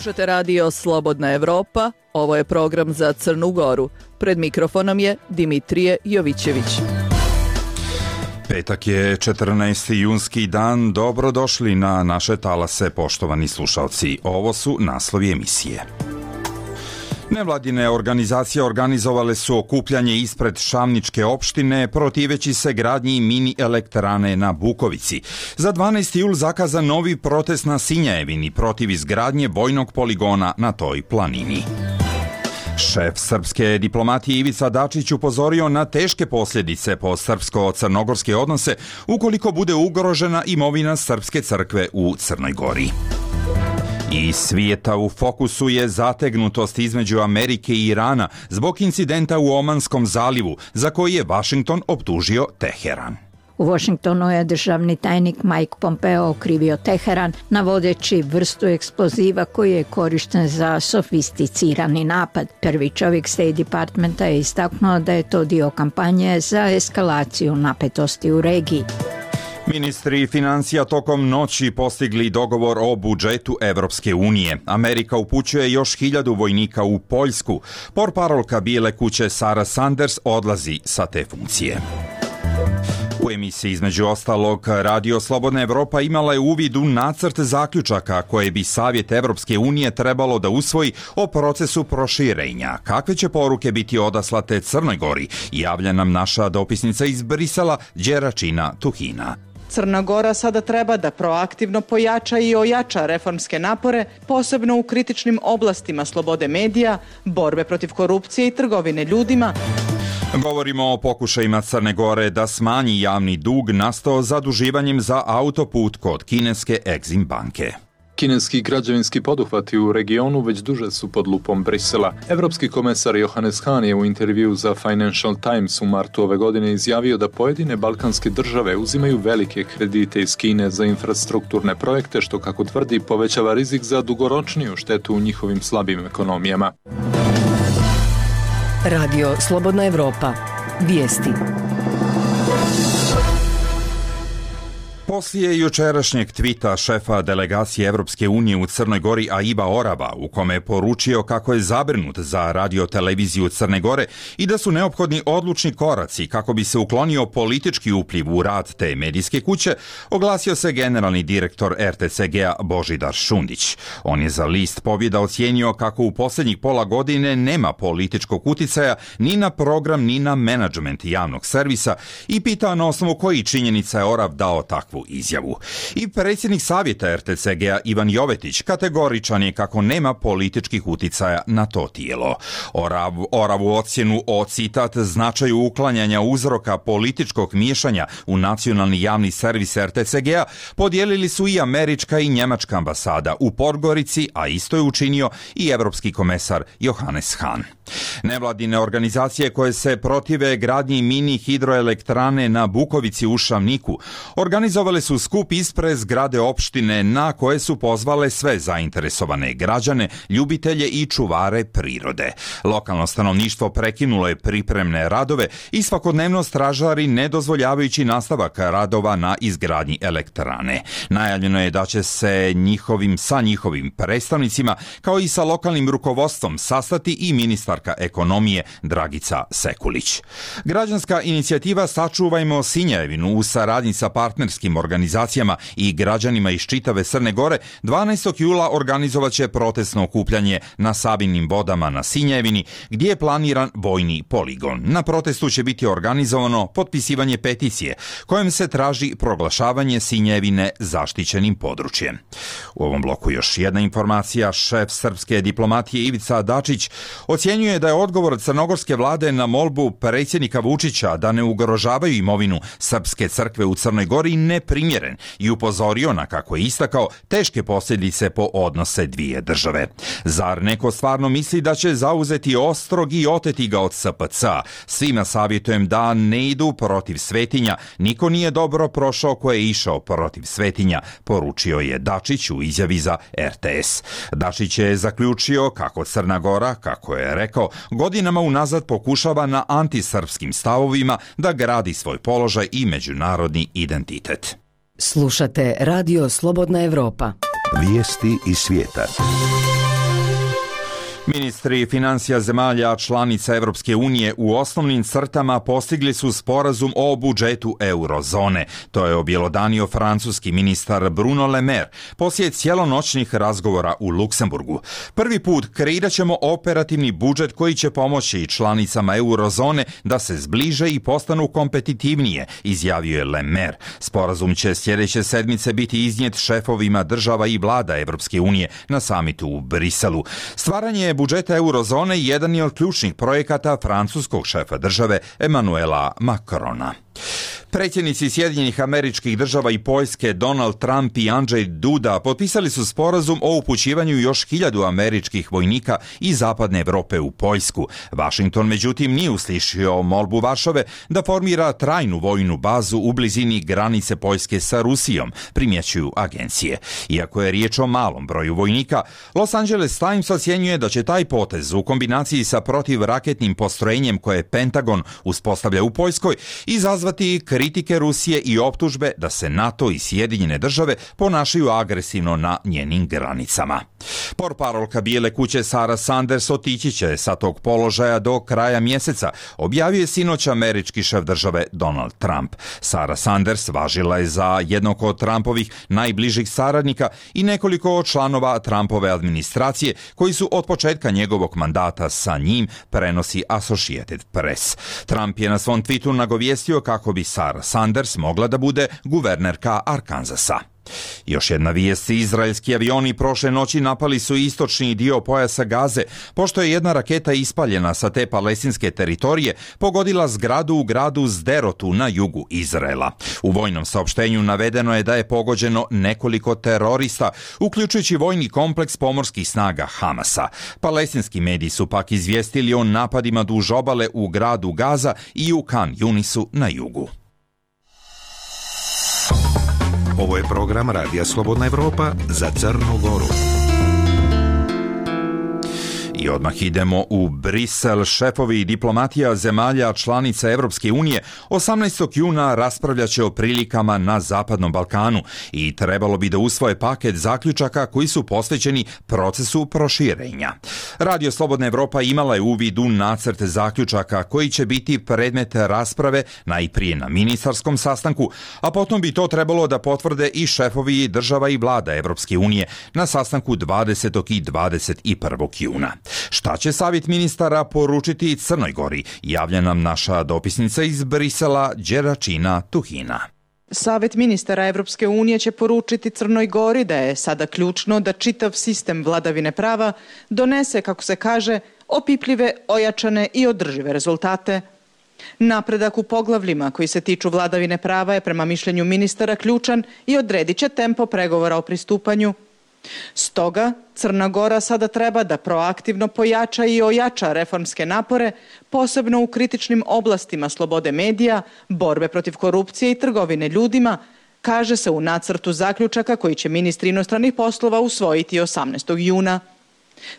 Slušate radio Slobodna Evropa, ovo je program za Crnu Goru. Pred mikrofonom je Dimitrije Jovićević. Petak je 14. junski dan, dobrodošli na naše talase, poštovani slušalci. Ovo su naslovi emisije. Nevladine organizacije organizovale su okupljanje ispred Šamničke opštine protiveći se gradnji mini elektrane na Bukovici. Za 12. jul zakazan novi protest na Sinjevini protiv izgradnje vojnog poligona na toj planini. Šef srpske diplomatije Ivica Dačić upozorio na teške posljedice po srpsko-crnogorske odnose ukoliko bude ugrožena imovina Srpske crkve u Crnoj Gori. Iz svijeta u fokusu je zategnutost između Amerike i Irana zbog incidenta u Omanskom zalivu, za koji je Vašington optužio Teheran. U Washingtonu je državni tajnik Mike Pompeo okrivio Teheran, navodeći vrstu eksploziva koji je korišten za sofisticirani napad. Prvi čovjek State Departmenta je istaknuo da je to dio kampanje za eskalaciju napetosti u regiji. Ministri financija tokom noći postigli dogovor o budžetu Evropske unije. Amerika upućuje još 1000 vojnika u Poljsku. Portparolka Bijele kuće Sara Sanders odlazi sa te funkcije. U emisiji između ostalog Radio Slobodna Evropa imala je uvid u nacrt zaključaka koje bi Savjet Evropske unije trebalo da usvoji o procesu proširenja. Kakve će poruke biti odaslate Crnoj Gori? Javlja nam naša dopisnica iz Brisela, Đeračina Tuhina. Crna Gora sada treba da proaktivno pojača i ojača reformske napore, posebno u kritičnim oblastima slobode medija, borbe protiv korupcije i trgovine ljudima. Govorimo o pokušajima Crne Gore da smanji javni dug nastao zaduživanjem za autoput kod kineske Exim banke. Kineski građevinski poduhvati u regionu već duže su pod lupom Brisela. Evropski komesar Johannes Hahn je u intervju za Financial Times u martu ove godine izjavio da pojedine balkanske države uzimaju velike kredite iz Kine za infrastrukturne projekte, što, kako tvrdi, povećava rizik za dugoročniju štetu u njihovim slabim ekonomijama. Radio Slobodna Evropa. Vijesti. Poslije jučerašnjeg tvita šefa delegacije Evropske unije u Crnoj Gori Aiba Oraba, u kome je poručio kako je zabrinut za radioteleviziju Crne Gore i da su neophodni odlučni koraci kako bi se uklonio politički upliv u rad te medijske kuće, oglasio se generalni direktor RTCG-a Božidar Šundić. On je za list Pobjeda ocijenio kako u posljednjih pola godine nema političkog uticaja ni na program ni na menadžment javnog servisa i pitao na osnovu koji činjenica je Orab dao takvu izjavu. I predsjednik savjeta RTCG-a Ivan Jovetić kategoričan je kako nema političkih uticaja na to tijelo. Oravu ocjenu o, citat, značaju uklanjanja uzroka političkog miješanja u nacionalni javni servis RTCG-a podijelili su i američka i njemačka ambasada u Podgorici, a isto je učinio i evropski komesar Johannes Hahn. Nevladine organizacije koje se protive gradnji mini hidroelektrane na Bukovici u Šamniku organizovale su skup ispred zgrade opštine na koje su pozvale sve zainteresovane građane, ljubitelje i čuvare prirode. Lokalno stanovništvo prekinulo je pripremne radove i svakodnevno stražari ne dozvoljavajući nastavak radova na izgradnji elektrane. Najavljeno je da će se sa njihovim predstavnicima kao i sa lokalnim rukovodstvom sastati i ministarka ekonomije Dragica Sekulić. Građanska inicijativa Sačuvajmo Sinjevinu u saradnji sa partnerskim organizacijama i građanima iz čitave Crne Gore 12. jula organizovat će protestno okupljanje na Sabinim vodama na Sinjevini, gdje je planiran vojni poligon. Na protestu će biti organizovano potpisivanje peticije kojom se traži proglašavanje Sinjevine zaštićenim područjem. U ovom bloku još jedna informacija. Šef srpske diplomatije Ivica Dačić ocjenjuje da je odgovor crnogorske vlade na molbu predsjednika Vučića da ne ugrožavaju imovinu Srpske crkve u Crnoj Gori neprimjeren i upozorio na, kako je istakao, teške posljedice po odnose dvije države. Zar neko stvarno misli da će zauzeti ostrog i oteti ga od SPC-a? Svima savjetujem da ne idu protiv svetinja. Niko nije dobro prošao ko je išao protiv svetinja, poručio je Dačić u izjavi za RTS. Dačić je zaključio kako Crna Gora, kako je rekao, godinama unazad pokušava na antisrpskim stavovima da gradi svoj položaj i međunarodni identitet. Slušate Radio Slobodna Evropa. Vijesti iz svijeta. Ministri financija zemalja članica Evropske unije u osnovnim crtama postigli su sporazum o budžetu eurozone. To je objelodanio francuski ministar Bruno Le Maire poslije cijelonoćnih razgovora u Luksemburgu. Prvi put kreirat ćemo operativni budžet koji će pomoći članicama eurozone da se zbliže i postanu kompetitivnije, izjavio je Le Maire. Sporazum će sljedeće sedmice biti iznijet šefovima država i vlada Evropske unije na samitu u Briselu. Stvaranje budžeta eurozone jedan je od ključnih projekata francuskog šefa države Emmanuela Macrona. Predsjednici Sjedinjenih Američkih Država i Poljske Donald Trump i Andrzej Duda potpisali su sporazum o upućivanju još 1000 američkih vojnika iz zapadne Europe u Poljsku. Washington međutim nije uslišio molbu Varšave da formira trajnu vojnu bazu u blizini granice Poljske sa Rusijom, primjećuju agencije. Iako je riječ o malom broju vojnika, Los Angeles Times ocjenjuje da će taj potez u kombinaciji sa protivraketnim postrojenjem koje Pentagon uspostavlja u Poljskoj izazvati kritike Rusije i optužbe da se NATO i Sjedinjene države ponašaju agresivno na njenim granicama. Portparolka Bijele kuće Sarah Sanders otići će sa tog položaja do kraja mjeseca, objavio je sinoć američki šef države Donald Trump. Sarah Sanders važila je za jednog od Trumpovih najbližih saradnika i nekoliko članova Trumpove administracije koji su od početka njegovog mandata sa njim, prenosi Associated Press. Trump je na svom tweetu nagovijestio kako bi Sarah Sanders mogla da bude guvernerka Arkansasa. Još jedna vijest, izraelski avioni prošle noći napali su istočni dio pojasa Gaze, pošto je jedna raketa ispaljena sa te palestinske teritorije pogodila zgradu u gradu Sderotu na jugu Izraela. U vojnom saopštenju navedeno je da je pogođeno nekoliko terorista, uključujući vojni kompleks pomorskih snaga Hamasa. Palestinski mediji su pak izvijestili o napadima duž obale u gradu Gaza i u Kan Yunisu na jugu. Ovo je program Radija Slobodna Evropa za Crnu Goru. I odmah idemo u Brisel. Šefovi diplomatija zemalja članica Evropske unije 18. juna raspravljat će o prilikama na Zapadnom Balkanu i trebalo bi da usvoje paket zaključaka koji su posvećeni procesu proširenja. Radio Slobodna Evropa imala je uvid u nacrt zaključaka koji će biti predmet rasprave najprije na ministarskom sastanku, a potom bi to trebalo da potvrde i šefovi država i vlada Evropske unije na sastanku 20. i 21. juna. Šta će savjet ministara poručiti Crnoj Gori? Javlja nam naša dopisnica iz Brisela, Đeračina Tuhina. Savet ministara Evropske unije će poručiti Crnoj Gori da je sada ključno da čitav sistem vladavine prava donese, kako se kaže, opipljive, ojačane i održive rezultate. Napredak u poglavljima koji se tiču vladavine prava je prema mišljenju ministara ključan i odredit će tempo pregovora o pristupanju. Stoga, Crna Gora sada treba da proaktivno pojača i ojača reformske napore, posebno u kritičnim oblastima slobode medija, borbe protiv korupcije i trgovine ljudima, kaže se u nacrtu zaključaka koji će ministri inostranih poslova usvojiti 18. juna.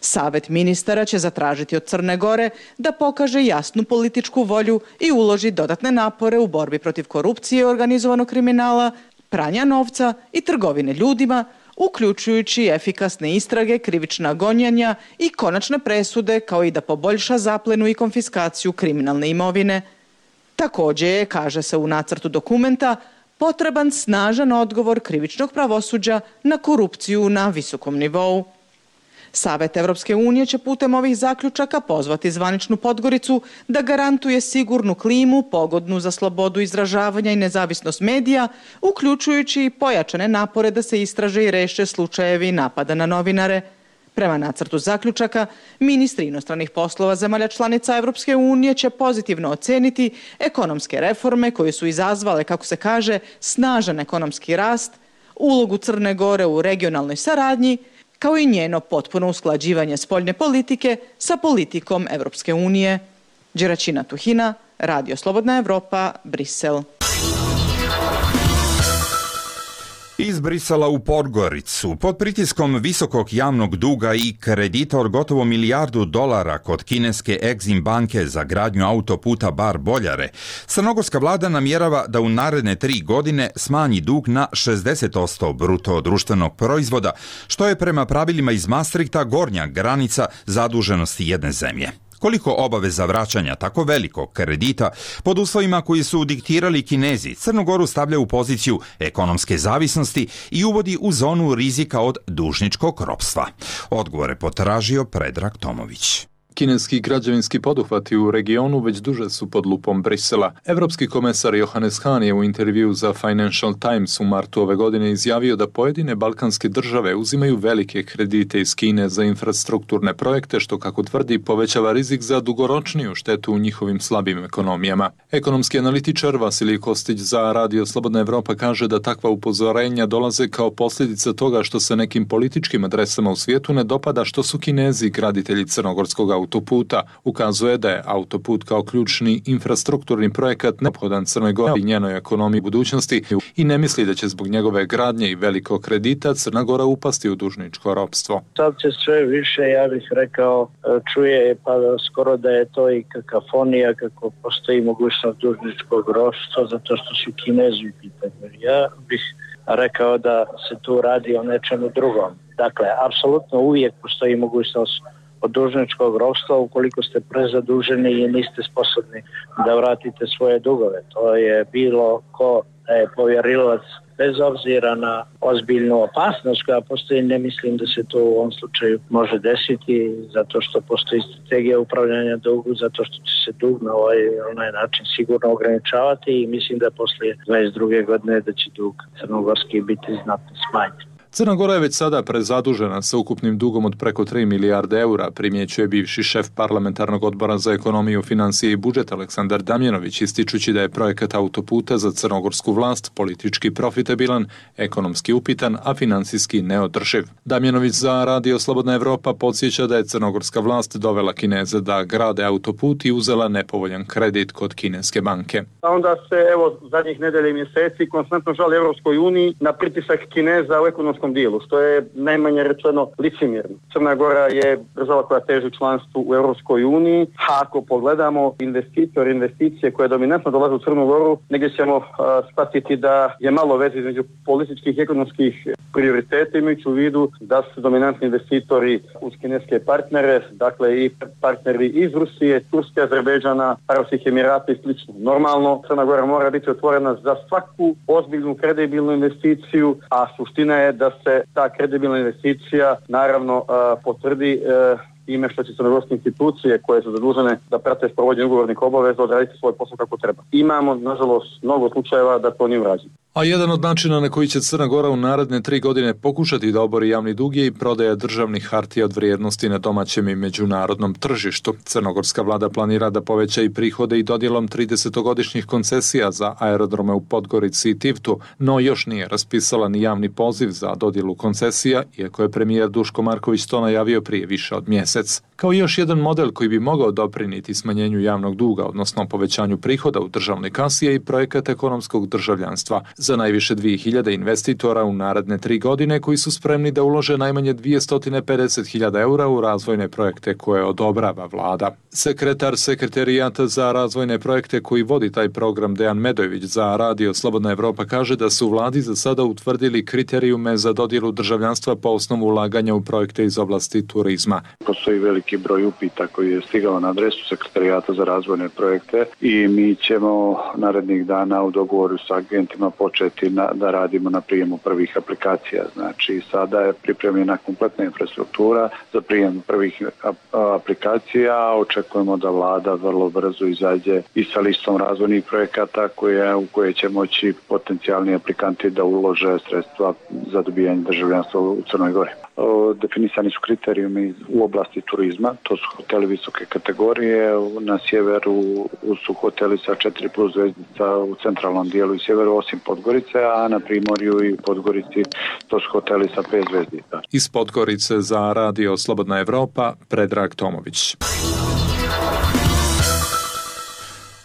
Savet ministara će zatražiti od Crne Gore da pokaže jasnu političku volju i uloži dodatne napore u borbi protiv korupcije i organizovanog kriminala, pranja novca i trgovine ljudima, uključujući efikasne istrage, krivična gonjenja i konačne presude, kao i da poboljša zaplenu i konfiskaciju kriminalne imovine. Također je, kaže se u nacrtu dokumenta, potreban snažan odgovor krivičnog pravosuđa na korupciju na visokom nivou. Savet Evropske unije će putem ovih zaključaka pozvati zvaničnu Podgoricu da garantuje sigurnu klimu pogodnu za slobodu izražavanja i nezavisnost medija, uključujući i pojačane napore da se istraže i reše slučajevi napada na novinare. Prema nacrtu zaključaka, ministri inostranih poslova zemalja članica Evropske unije će pozitivno oceniti ekonomske reforme koje su izazvale, kako se kaže, snažan ekonomski rast, ulogu Crne Gore u regionalnoj saradnji, kao i njeno potpuno usklađivanje spoljne politike sa politikom Evropske unije. Đeračina Tuhina, Radio Slobodna Evropa, Brisel. Iz Brisela u Podgoricu, pod pritiskom visokog javnog duga i kredita od gotovo $1 milijardu kod kineske Exim banke za gradnju autoputa Bar-Boljare, crnogorska vlada namjerava da u naredne 3 godine smanji dug na 60% bruto društvenog proizvoda, što je prema pravilima iz Maastrichta gornja granica zaduženosti jedne zemlje. Koliko obaveza vraćanja tako velikog kredita pod uslovima koji su diktirali Kinezi Crnu Goru stavlja u poziciju ekonomske zavisnosti i uvodi u zonu rizika od dužničkog ropstva. Odgovore potražio Predrag Tomović. Kineski građevinski poduhvati u regionu već duže su pod lupom Brisela. Evropski komesar Johannes Hahn je u intervju za Financial Times u martu ove godine izjavio da pojedine balkanske države uzimaju velike kredite iz Kine za infrastrukturne projekte, što, kako tvrdi, povećava rizik za dugoročniju štetu u njihovim slabim ekonomijama. Ekonomski analitičar Vasilij Kostić za Radio Slobodna Evropa kaže da takva upozorenja dolaze kao posljedica toga što se nekim političkim adresama u svijetu ne dopada što su Kinezi graditelji crnogorskog autoputa. Ukazuje da je autoput kao ključni infrastrukturni projekat neophodan Crnoj Gori i njenoj ekonomiji budućnosti i ne misli da će zbog njegove gradnje i velikog kredita Crna Gora upasti u dužničko ropstvo. Sad se sve više, ja bih rekao, čuje pa skoro da je to i kakofonija kako postoji mogućnost dužničkog ropstva zato što su Kinezi u pitanju. Ja bih rekao da se tu radi o nečemu drugom. Dakle, apsolutno uvijek postoji mogućnost od dužničkog ropstva ukoliko ste prezaduženi i niste sposobni da vratite svoje dugove. To je bilo ko je povjerilac bez obzira na ozbiljnu opasnost koja postoji. Ne mislim da se to u ovom slučaju može desiti zato što postoji strategija upravljanja dugu, zato što će se dug na onaj način sigurno ograničavati i mislim da poslije 22. godine da će dug crnogorski biti znatno smanjen. Crna Gora je već sada prezadužena sa ukupnim dugom od preko 3 milijarde eura, primjećuje bivši šef parlamentarnog odbora za ekonomiju, financije i budžet Aleksandar Damjanović, ističući da je projekat autoputa za crnogorsku vlast politički profitabilan, ekonomski upitan, a financijski neodrživ. Damjanović za Radio Slobodna Evropa podsjeća da je crnogorska vlast dovela Kineze da grade autoput i uzela nepovoljan kredit kod kineske banke. Onda se, zadnjih nedelja i mjeseci konstantno žali Europskoj uniji na pritisak Kineza u ekonomskom dijelu, što je najmanje rečeno licemjerno. Crna Gora je država koja teži članstvu u Europskoj uniji, a ako pogledamo investicije koje dominantno dolaze u Crnu Goru, negdje ćemo shvatiti da je malo veze između političkih i ekonomskih prioriteta, imajući u vidu da su dominantni investitori uz kineske partnere, dakle i partneri iz Rusije, Turske, Azerbejdžana, Arapskih Emirata i sl. Normalno, Crna Gora mora biti otvorena za svaku ozbiljnu, kredibilnu investiciju, a suština je da se ta kredibilna investicija naravno potvrdi time što će crnogorske institucije koje su zadužene da prate sprovođenje ugovornih obaveza odraditi svoj posao kako treba. Imamo, nažalost, mnogo slučajeva da to nije urađeno. A jedan od načina na koji će Crna Gora u naredne 3 godine pokušati da obori javni dug je i prodaja državnih hartija od vrijednosti na domaćem i međunarodnom tržištu. Crnogorska vlada planira da poveća i prihode i dodjelom 30-godišnjih koncesija za aerodrome u Podgorici i Tivtu, no još nije raspisala ni javni poziv za dodjelu koncesija, iako je premijer Duško Marković to najavio prije više od mjesec. Kao još jedan model koji bi mogao doprinijeti smanjenju javnog duga, odnosno povećanju prihoda u državnoj kasi, je i projekat ekonomskog državljanstva za najviše 2000 investitora u naredne 3 godine koji su spremni da ulože najmanje 250.000 eura u razvojne projekte koje odobrava vlada. Sekretar Sekretarijata za razvojne projekte koji vodi taj program, Dejan Medojević za Radio Slobodna Evropa, kaže da su u vladi za sada utvrdili kriterijume za dodjelu državljanstva po osnovu ulaganja u projekte iz oblasti turizma. Postoji veliki broj upita koji je stigao na adresu Sekretarijata za razvojne projekte i mi ćemo narednih dana u dogovoru sa agentima početi da radimo na prijemu prvih aplikacija. Znači, sada je pripremljena kompletna infrastruktura za prijem prvih aplikacija. Očekujemo da vlada vrlo brzo izađe i sa listom razvojnih projekata u koje će moći potencijalni aplikanti da ulože sredstva za dobijanje državljanstva u Crnoj Gori. Definisani su kriterijumi u oblasti turizma, to su hoteli visoke kategorije, na sjeveru su hoteli sa 4+ zvezdica u centralnom dijelu i sjeveru osim Podgorice, a na primorju i Podgorici to su hoteli sa 5 zvezdica. Iz Podgorice za Radio Slobodna Evropa, Predrag Tomović.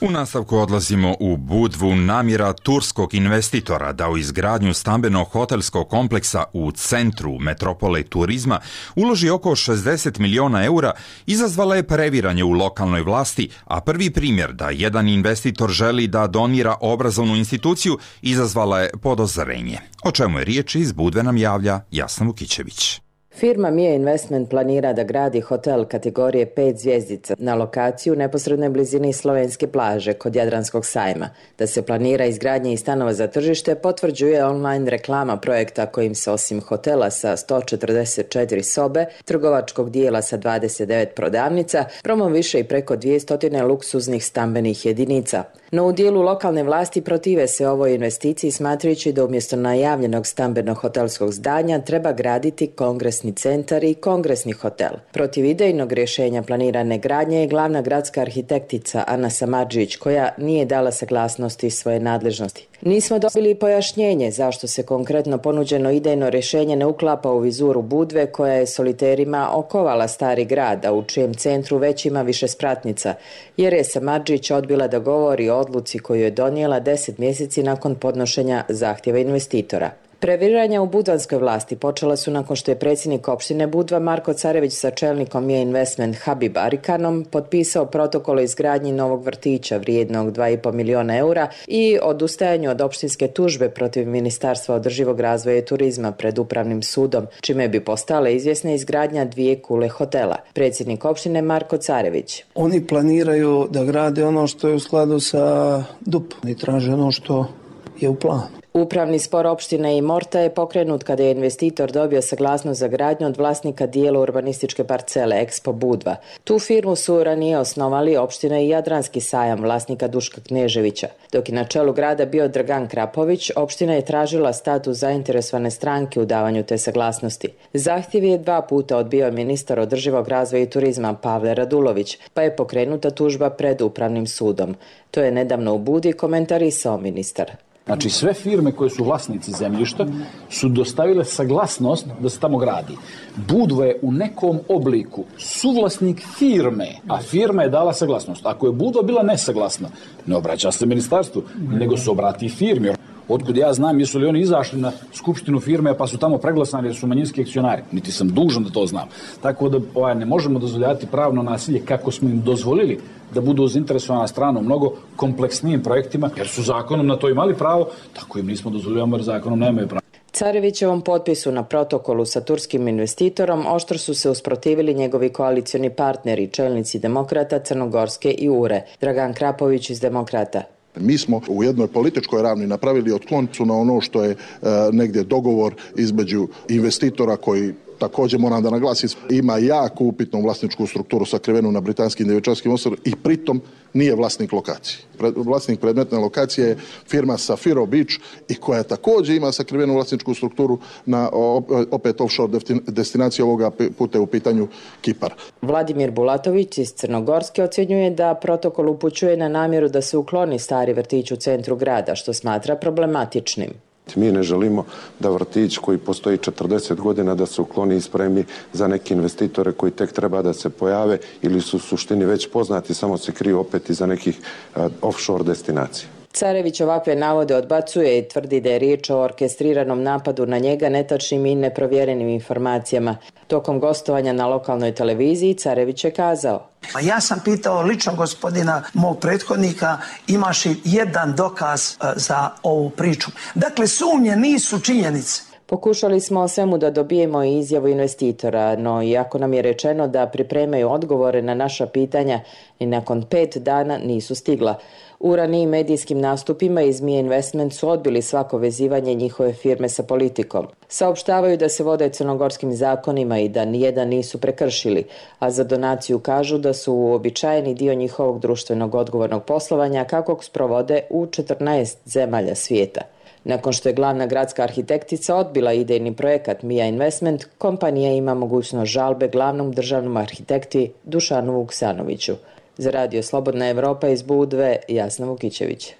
U nastavku odlazimo u Budvu. Namjera turskog investitora da u izgradnju stambeno-hotelskog kompleksa u centru metropole turizma uloži oko 60 miliona eura izazvala je previranje u lokalnoj vlasti, a prvi primjer da jedan investitor želi da donira obrazovnu instituciju izazvala je podozrenje. O čemu je riječ, iz Budve nam javlja Jasna Vukićević. Firma Mia Investment planira da gradi hotel kategorije 5 zvjezdica na lokaciju u neposrednoj blizini slovenske plaže kod Jadranskog sajma. Da se planira izgradnje i stanova za tržište potvrđuje online reklama projekta kojim se osim hotela sa 144 sobe, trgovačkog dijela sa 29 prodavnica, promoviše i preko 200 luksuznih stambenih jedinica. No u dijelu lokalne vlasti protive se ovoj investiciji, smatrajući da umjesto najavljenog stambeno-hotelskog zdanja treba graditi kongresni centar i kongresni hotel. Protiv idejnog rješenja planirane gradnje je glavna gradska arhitektica Ana Samardžić, koja nije dala saglasnosti svoje nadležnosti. Nismo dobili pojašnjenje zašto se konkretno ponuđeno idejno rješenje ne uklapa u vizuru Budve, koja je soliterima okovala stari grad, a u čijem centru već ima više spratnica, jer je Samardžić odbila da govori o odluci koju je donijela 10 mjeseci nakon podnošenja zahtjeva investitora. Previranja u budvanskoj vlasti počela su nakon što je predsjednik opštine Budva Marko Carević sa čelnikom Mia Investment Habib Arikanom potpisao protokol o izgradnji novog vrtića vrijednog 2,5 miliona eura i odustajanju od opštinske tužbe protiv Ministarstva održivog razvoja i turizma pred upravnim sudom, čime bi postala izvjesna izgradnja 2 kule hotela. Predsjednik opštine Marko Carević. Oni planiraju da grade ono što je u skladu sa DUP i traže ono što je u planu. Upravni spor opštine Imorta je pokrenut kada je investitor dobio saglasnost za gradnju od vlasnika dijela urbanističke parcele Expo Budva. Tu firmu su ranije osnovali opština i Jadranski sajam vlasnika Duška Kneževića. Dok je na čelu grada bio Dragan Krapović, opština je tražila status zainteresovane stranke u davanju te saglasnosti. Zahtjev je 2 puta odbio ministar održivog razvoja i turizma Pavle Radulović, pa je pokrenuta tužba pred upravnim sudom. To je nedavno u Budi komentarisao ministar. Znači sve firme koje su vlasnici zemljišta su dostavile saglasnost da se tamo gradi. Budva je u nekom obliku suvlasnik firme, a firma je dala saglasnost. Ako je Budva bila nesaglasna, ne obraća se ministarstvu, nego se obrati firmi. Otkud ja znam, jesu li oni izašli na skupštinu firme pa su tamo preglasani jer su manjinski akcionari. Niti sam dužan da to znam. Tako da ne možemo dozvoljavati pravno nasilje kako smo im dozvolili da budu zainteresovana strana u mnogo kompleksnijim projektima, jer su zakonom na to imali pravo, tako im nismo dozvoljavamo jer zakonom nemaju pravo. Carevićevom potpisu na protokolu sa turskim investitorom oštro su se usprotivili njegovi koalicioni partneri, čelnici Demokrata, Crnogorske i URE. Dragan Krapović iz Demokrata. Mi smo u jednoj političkoj ravni napravili otklon na ono što je negdje dogovor između investitora koji, također moram da naglasim, ima jako upitnu vlasničku strukturu sakrivenu na britanskim Djevičanskim ostrovima i pritom nije vlasnik lokacije. Vlasnik predmetne lokacije je firma Safiro Beach i koja također ima sakrivenu vlasničku strukturu na opet offshore destinaciji, ovoga puta u pitanju Kipar. Vladimir Bulatović iz Crnogorske ocjenjuje da protokol upućuje na namjeru da se ukloni stari vrtić u centru grada, što smatra problematičnim. Mi ne želimo da vrtić koji postoji 40 godina da se ukloni i spremi za neke investitore koji tek treba da se pojave ili su u suštini već poznati, samo se kriju opet iza nekih offshore destinacija. Carević ovakve navode odbacuje i tvrdi da je riječ o orkestriranom napadu na njega, netačnim i neprovjerenim informacijama. Tokom gostovanja na lokalnoj televiziji Carević je kazao: Ja sam pitao lično gospodina mog prethodnika, imaš li jedan dokaz za ovu priču. Dakle, sumnje nisu činjenice. Pokušali smo o svemu da dobijemo izjavu investitora, no iako nam je rečeno da pripremaju odgovore na naša pitanja, i nakon 5 dana nisu stigla. U ranijim medijskim nastupima iz Mia Investment su odbili svako vezivanje njihove firme sa politikom. Saopštavaju da se vode crnogorskim zakonima i da nijedan nisu prekršili, a za donaciju kažu da su uobičajeni dio njihovog društvenog odgovornog poslovanja kakvog sprovode u 14 zemalja svijeta. Nakon što je glavna gradska arhitektica odbila idejni projekat Mia Investment, kompanija ima mogućnost žalbe glavnom državnom arhitekti Dušanu Vuksanoviću. Za Radio Slobodna Evropa iz Budve, Jasna Vukićević.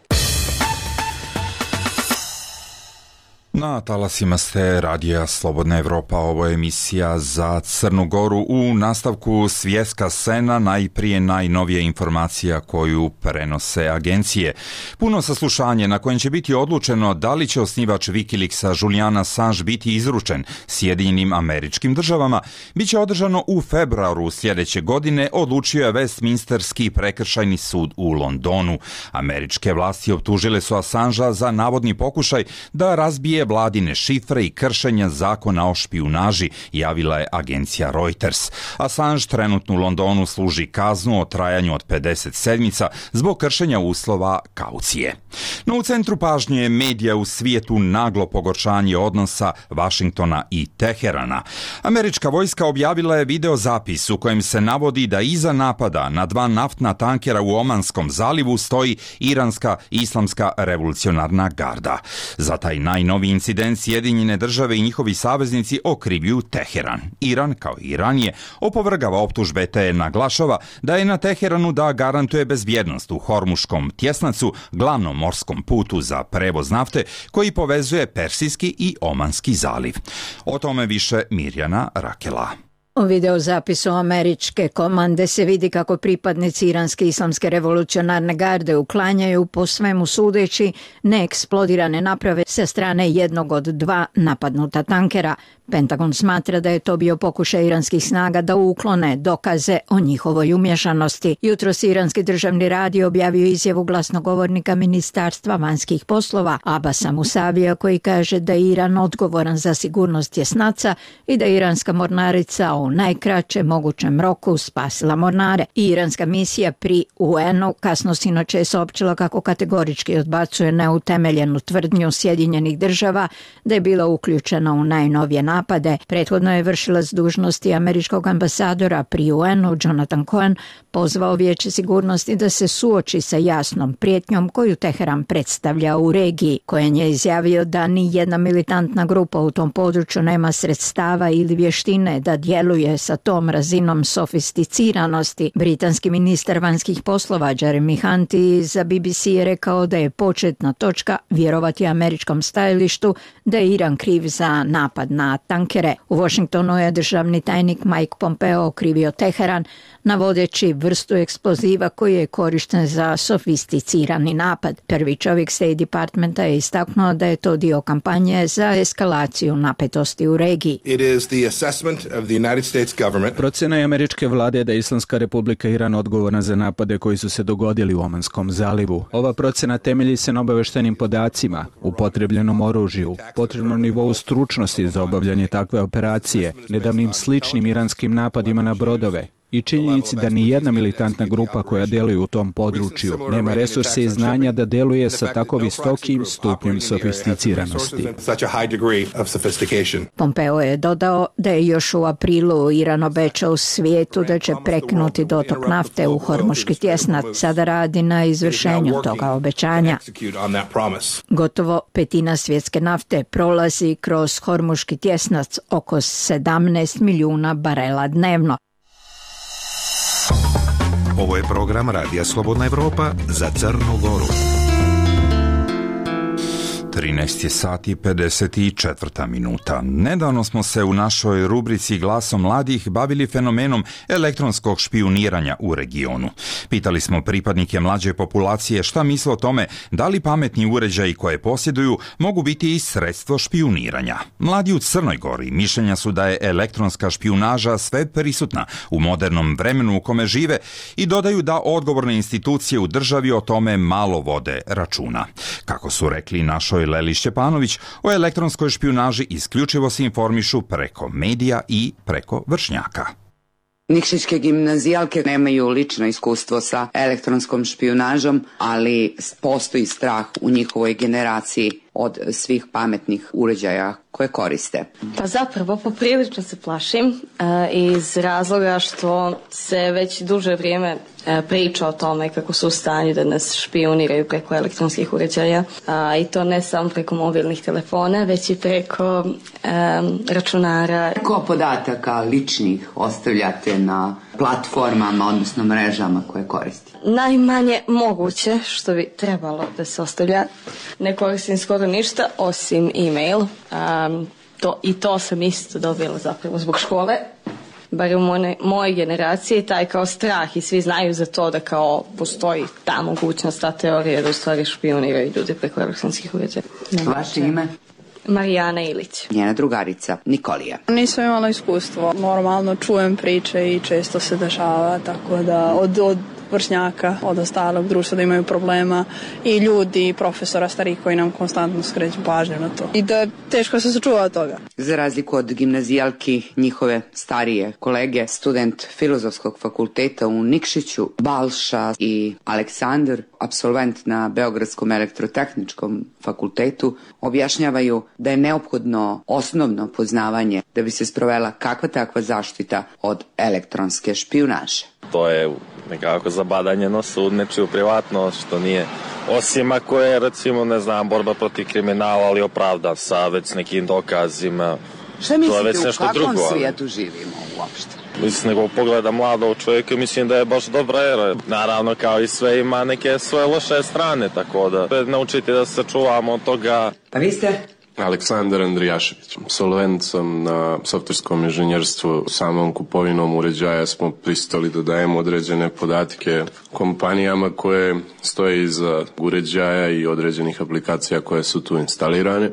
Na talasima ste radija Slobodna Evropa, ovo je emisija za Crnu Goru. U nastavku svjetska scena, najprije najnovija informacija koju prenose agencije. Puno saslušanje na kojem će biti odlučeno da li će osnivač Wikileaksa Julian Assange biti izručen Sjedinjenim Američkim Državama, bit će održano u februaru sljedeće godine, odlučio je Westminsterski prekršajni sud u Londonu. Američke vlasti optužile su Assangea za navodni pokušaj da razbije vladine šifre i kršenja zakona o špijunaži, javila je agencija Reuters. Assange trenutno u Londonu služi kaznu o trajanju od 50 sedmica zbog kršenja uslova kaucije. No u centru pažnje medija u svijetu naglo pogoršanje odnosa Vašingtona i Teherana. Američka vojska objavila je video zapis u kojem se navodi da iza napada na 2 naftna tankera u Omanskom zalivu stoji iranska islamska revolucionarna garda. Za taj najnoviji incident Sjedinjene Države i njihovi saveznici okrivljuju Teheran. Iran, kao i ranije, opovrgava optužbe te naglašava da je na Teheranu da garantuje bezbjednost u Hormuškom tjesnacu, glavnom morskom putu za prevoz nafte koji povezuje Persijski i Omanski zaliv. O tome više Mirjana Rakela. U videozapisu američke komande se vidi kako pripadnici iranske islamske revolucionarne garde uklanjaju, po svemu sudeći, neeksplodirane naprave sa strane jednog od 2 napadnuta tankera. Pentagon smatra da je to bio pokušaj iranskih snaga da uklone dokaze o njihovoj umješanosti. Jutros iranski državni radio objavio izjavu glasnogovornika Ministarstva vanjskih poslova Abasa Musavija, koji kaže da je Iran odgovoran za sigurnost tjesnaca i da je iranska mornarica u najkraćem mogućem roku spasila mornare. Iranska misija pri UN-u kasno sinoć je saopćila kako kategorički odbacuje neutemeljenu tvrdnju Sjedinjenih Država da je bila uključena u najnovije napade. Prethodno je vršilac dužnosti američkog ambasadora pri UN-u Jonathan Cohen pozvao Vijeće sigurnosti da se suoči sa jasnom prijetnjom koju Teheran predstavlja u regiji. Cohen je izjavio da ni jedna militantna grupa u tom području nema sredstava ili vještine da djeluje sa tom razinom sofisticiranosti. Britanski ministar vanjskih poslova Jeremy Hunt za BBC je rekao da je početna točka vjerovati američkom stajalištu da je Iran kriv za napad na tankere. U Washingtonu je državni tajnik Mike Pompeo okrivio Teheran, navodeći vrstu eksploziva koji je korišten za sofisticirani napad. Prvi čovjek State Departmenta je istaknuo da je to dio kampanje za eskalaciju napetosti u regiji. Procjena je američke vlade da je Islamska republika Iran odgovorna za napade koji su se dogodili u Omanskom zalivu. Ova procjena temelji se na obavještenim podacima, upotrebljenom oružju, potrebnom nivou stručnosti za obavljanje takve operacije, nedavnim sličnim iranskim napadima na brodove i činjenici da ni jedna militantna grupa koja djeluje u tom području nema resurse i znanja da djeluje sa tako visokim stupnjem sofisticiranosti. Pompeo je dodao da je još u aprilu Iran obećao svijetu da će prekinuti dotok nafte u Hormuški tjesnac. Sada radi na izvršenju toga obećanja. Gotovo 1/5 svjetske nafte prolazi kroz Hormuški tjesnac, oko 17 milijuna barela dnevno. Ovo je program Radija Slobodna Evropa za Crnu Goru. 13 je sati 54 minuta. Nedavno smo se u našoj rubrici Glasom mladih bavili fenomenom elektronskog špijuniranja u regionu. Pitali smo pripadnike mlađe populacije šta misle o tome da li pametni uređaji koje posjeduju mogu biti i sredstvo špijuniranja. Mladi u Crnoj Gori mišljenja su da je elektronska špijunaža sve prisutna u modernom vremenu u kome žive i dodaju da odgovorne institucije u državi o tome malo vode računa. Kako su rekli našoj Leli Šćepanović, o elektronskoj špijunaži isključivo se informišu preko medija i preko vršnjaka. Nikšićke gimnazijalke nemaju lično iskustvo sa elektronskom špijunažom, ali postoji strah u njihovoj generaciji od svih pametnih uređaja koje koriste. Pa zapravo poprilično se plašim iz razloga što se već duže vrijeme priča o tome kako su u stanju da nas špijuniraju preko elektronskih uređaja i to ne samo preko mobilnih telefona, već i preko računara. Koliko podataka ličnih ostavljate na platformama, odnosno mrežama koje koristite? Najmanje moguće što bi trebalo da se ostavlja. Ne koristim skoro ništa osim e-mail. I to sam isto dobila zapravo zbog škole. Bar u mojoj generaciji taj kao strah i svi znaju za to da kao postoji ta mogućnost, ta teorija da u stvari špijuniraju ljudi preko elektronskih uređaja. Vaše ime? Marijana Ilić. Njena drugarica Nikolija. Nisam imala iskustvo. Normalno čujem priče i često se dešava, tako da od vršnjaka, od ostalog društva da imaju problema i ljudi i profesora starih koji nam konstantno skreću pažnju na to. I da teško se sačuva od toga. Za razliku od gimnazijalki, njihove starije kolege, student Filozofskog fakulteta u Nikšiću, Balša i Aleksandar, apsolvent na Beogradskom elektrotehničkom fakultetu, objašnjavaju da je neophodno osnovno poznavanje da bi se sprovela kakva takva zaštita od elektronske špijunaže. To je nekako zabadanje nosa u nečiju privatnost, što nije, osim ako je, recimo, ne znam, borba protiv kriminala, ali opravdan sa već nekim dokazima. Šta mislite, u kakvom svijetu živimo uopšte? Mislim, nego pogleda mladog čovjeka, mislim da je baš dobra era. Naravno, kao i sve, ima neke svoje loše strane, tako da naučiti da se čuvamo od toga. Pa vi ste? Aleksandar Andrijašević. Absolvent sam na softverskom inženjerstvu. Samom kupovinom uređaja smo pristali da dajemo određene podatke kompanijama koje stoje iza uređaja i određenih aplikacija koje su tu instalirane.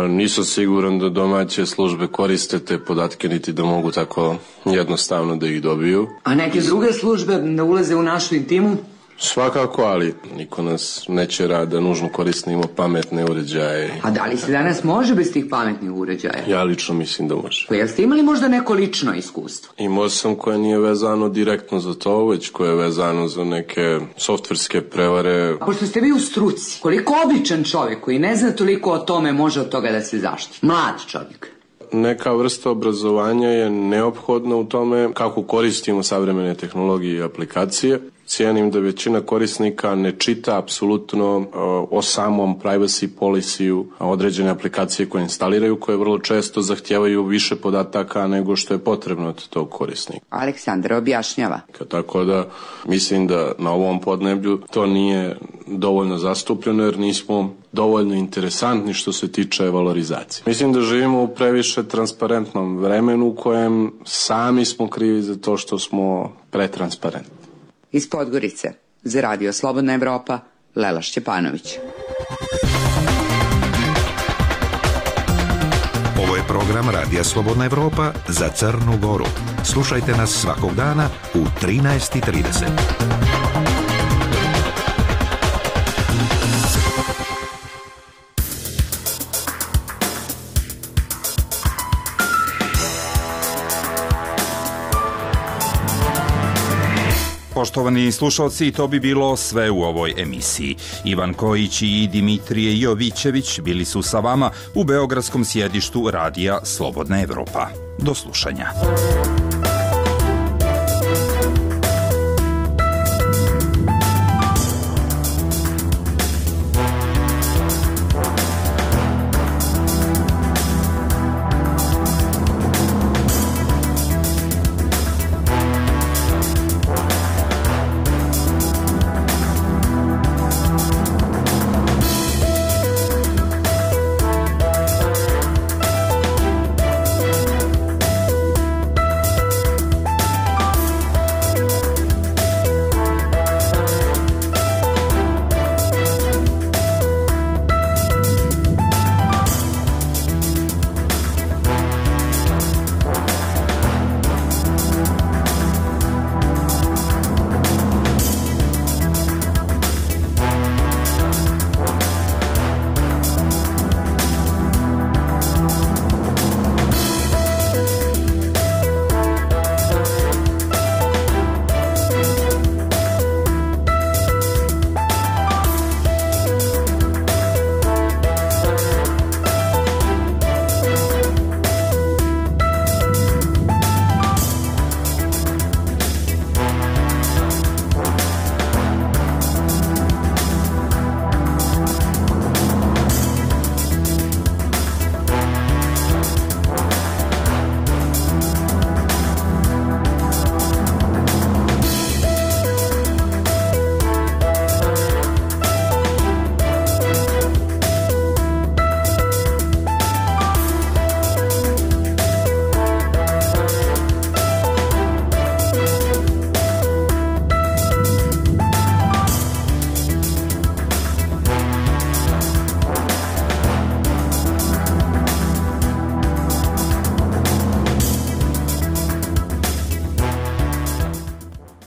Nisam siguran da domaće službe koriste te podatke, niti da mogu tako jednostavno da ih dobiju. A neke druge službe da ulaze u našu intimu? Svakako, ali niko nas neće da nužno koristimo pametne uređaje. A da li se danas može bez tih pametnih uređaja? Ja lično mislim da može. Pa jeste imali možda neko lično iskustvo? Imao sam koje nije vezano direktno za to, već koje je vezano za neke softverske prevare. A pošto ste vi u struci, koliko običan čovjek koji ne zna toliko o tome može od toga da se zaštiti? Mlad čovjek. Neka vrsta obrazovanja je neophodna u tome kako koristimo savremene tehnologije i aplikacije. Cijenim da većina korisnika ne čita apsolutno o samom privacy policy-u određene aplikacije koje instaliraju, koje vrlo često zahtijevaju više podataka nego što je potrebno od tog korisnika. Aleksandar objašnjava. Tako da mislim da na ovom podneblju to nije dovoljno zastupljeno jer nismo dovoljno interesantni što se tiče valorizacije. Mislim da živimo u previše transparentnom vremenu u kojem sami smo krivi za to što smo pretransparentni. Iz Podgorice, za Radio Slobodna Evropa, Lela Šćepanović. Ovo je program Radija Slobodna Evropa za Crnu Goru. Slušajte nas svakog dana u 13:30. Poštovani slušalci, to bi bilo sve u ovoj emisiji. Ivan Kojić i Dimitrije Jovićević bili su sa vama u beogradskom sjedištu Radija Slobodna Evropa. Do slušanja.